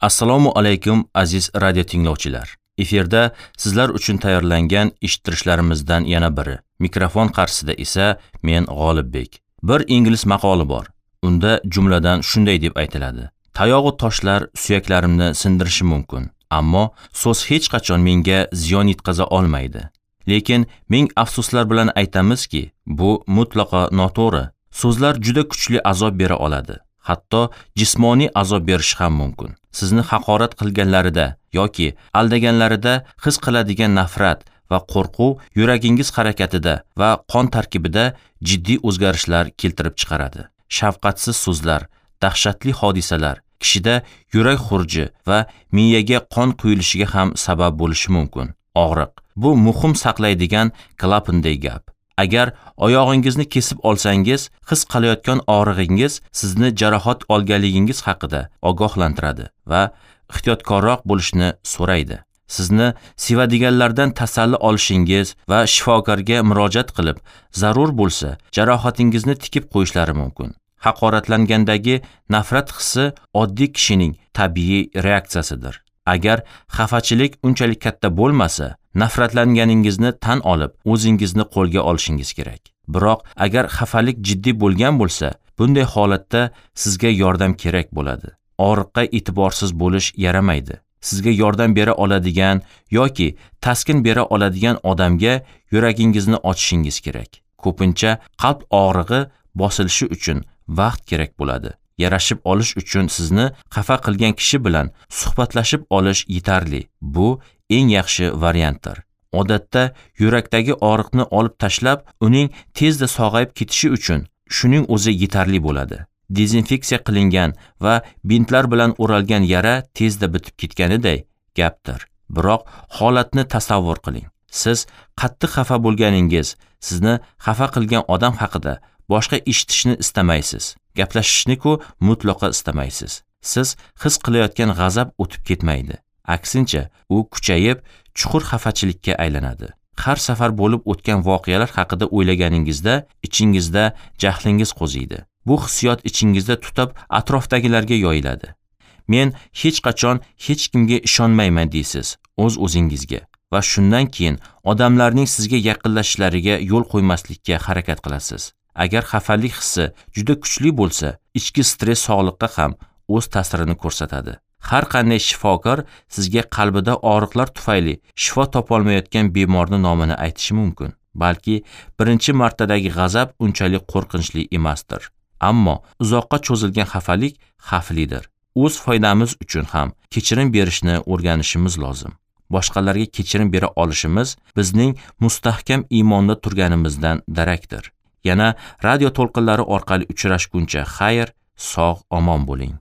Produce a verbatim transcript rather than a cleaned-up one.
Assalomu alaykum aziz radio tinglovchilar. Efirda sizlar uchun tayyorlangan eshittirishlarimizdan yana biri. Mikrofon qarshisida esa men G'olibbek. Bir ingliz maqoli bor. Unda jumladan shunday deb aytiladi: Tayog'u toshlar suyaklarimni sindirishi mumkin, ammo so'z hech qachon menga ziyon yetkaza olmaydi. Lekin ming afsuslar bilan aytamizki, bu mutlaqo noto'g'ri. So'zlar juda kuchli azob bera oladi. Hatto jismoniy azob berishi ham mumkin. Sizni haqorat qilganlarida yoki aldaganlarida his qiladigan nafrat va qo'rquv yuragingiz harakatida va qon tarkibida jiddiy o'zgarishlar keltirib chiqaradi. Shafqatsiz so'zlar, dahshatli hodisalar kishida yurak xurji va miyaga qon quyilishiga ham sabab bo'lishi mumkin. Og'riq bu muhim saqlaydigan klapanday gap. Agar oyog'ingizni kesib olsangiz, his qilayotgan og'rig'ingiz sizni jarohat olganligingiz haqida ogohlantiradi va ehtiyotkorroq bo'lishni so'raydi. Sizni sevadiganlardan tasalli olishingiz va shifokorga murojaat qilib, zarur bo'lsa, jarohatingizni tikib qo'yishlari mumkin. Haqoratlangandagi nafrat hissi oddiy kishining tabiiy reaksiyasidir. Agar xafachilik unchalik katta bo'lmasa, nafratlanganingizni tan olib, o'zingizni qo'lga olishingiz kerak. Biroq agar xafalik jiddiy bo'lgan bo'lsa, bunday holatda sizga yordam kerak bo'ladi. Og'riqqa e'tiborsiz bo'lish yaramaydi. Sizga yordam bera oladigan yoki taskin bera oladigan odamga yuragingizni ochishingiz kerak. Ko'pincha qalb og'rig'i bosilishi uchun vaqt kerak bo'ladi. Yarashib olish uchun sizni xafa qilgan kishi bilan suhbatlashib olish yetarli. Bu eng yaxshi variantdir. Odatda yurakdagi og'riqni olib tashlab, uning tezda sog'ayib ketishi uchun shuning o'zi yetarli bo'ladi. Dezinfeksiya qilingan va bintlar bilan o'ralgan yara tezda bitib ketganiday gapdir. Biroq holatni tasavvur qiling. Siz qattiq xafa bo'lganingiz, sizni xafa qilgan odam haqida boshqa eshitishni istamaysiz. Gaplashishni-ku mutlaqo istamaysiz. Siz his qilayotgan g'azab o'tib ketmaydi. Aksincha, u kuchayib, chuqur xafachilikka aylanadi. Har safar bo'lib o'tgan voqealar haqida o'ylaganingizda ichingizda jahlingiz qo'ziydi. Bu hissiyot ichingizda tutab, atrofdagilarga yoyiladi. Men hech qachon hech kimga ishonmayman deysiz o'z-o'zingizga va shundan keyin odamlarning sizga yaqinlashishlariga yo'l qo'ymaslikka harakat qilasiz. Agar xafalik hissi juda kuchli bo'lsa, ichki stress sog'liqqa ham o'z ta'sirini ko'rsatadi. Har qanday shifokor sizga qalbida og'riqlar tufayli shifo topolmayotgan bemorning nomini aytishi mumkin. Balki birinchi martadagi g'azab unchalik qo'rqinchli emasdir. Ammo uzoqqa cho'zilgan xafalik xavflidir. O'z foydamiz uchun ham kechirim berishni o'rganishimiz lozim. Boshqalarga kechirim bera olishimiz bizning mustahkam iymonda turganimizdan darakdir. Yana radio to'lqinlari orqali uchrashguncha xayr, sog' omon bo'ling.